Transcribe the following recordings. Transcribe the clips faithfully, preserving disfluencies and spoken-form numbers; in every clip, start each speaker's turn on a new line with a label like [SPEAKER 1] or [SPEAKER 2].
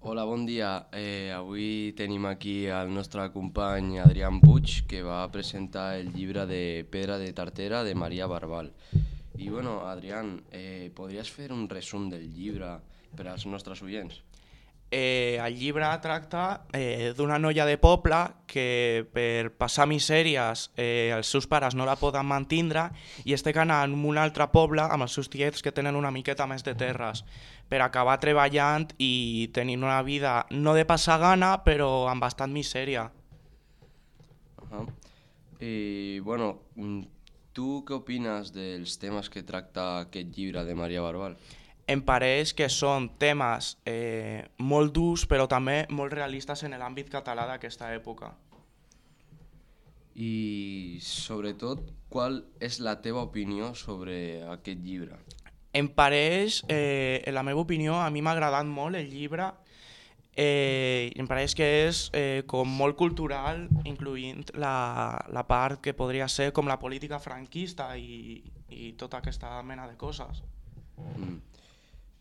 [SPEAKER 1] Hola, bon dia. Eh, avui tenim aquí el nostre company Adrián Puig, que va presentar el llibre de Pedra de Tartera de Maria Barbal. I bueno, Adrián, eh, podries fer un resum del llibre per als nostres oients?
[SPEAKER 2] Eh, el llibre tracta eh, d'una noia de poble que per passar misèries eh, els seus pares no la poden mantindre i es té que anar a un altre poble amb els seus tiets que tenen una miqueta més de terres per acabar treballant i tenint una vida no de passar gana però amb bastant misèria.
[SPEAKER 1] Ahà. I bueno, mm, tu què opines dels temes que tracta aquest llibre de Maria Barbal?
[SPEAKER 2] Em pareix que són temes eh, molt durs però també molt realistes en l'àmbit català d'aquesta època.
[SPEAKER 1] I sobretot, qual és la teva opinió sobre aquest llibre?
[SPEAKER 2] Em pareix, eh, en la meva opinió, a mi m'ha agradat molt el llibre. Eh, em pareix que és eh, com molt cultural, incloent la, la part que podria ser com la política franquista i, i tota aquesta mena de coses.
[SPEAKER 1] Mm.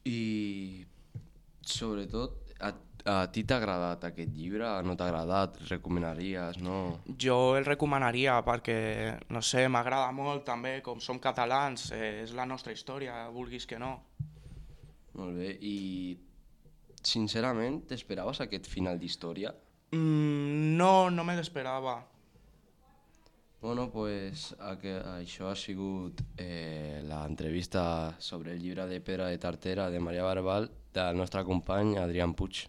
[SPEAKER 1] I sobretot, a, a ti t'ha agradat aquest llibre? No t'ha agradat? Recomanaries? No?
[SPEAKER 2] Jo el recomanaria perquè, no sé, m'agrada molt també, com som catalans, eh, és la nostra història, vulguis que no.
[SPEAKER 1] Molt bé. I sincerament, t'esperaves aquest final d'història?
[SPEAKER 2] Mm, no, no me l'esperava.
[SPEAKER 1] Bueno, pues a que, això ha sigut eh, l'entrevista sobre el llibre de Pedra de Tartera de Maria Barbal del nostre company Adrián Puig.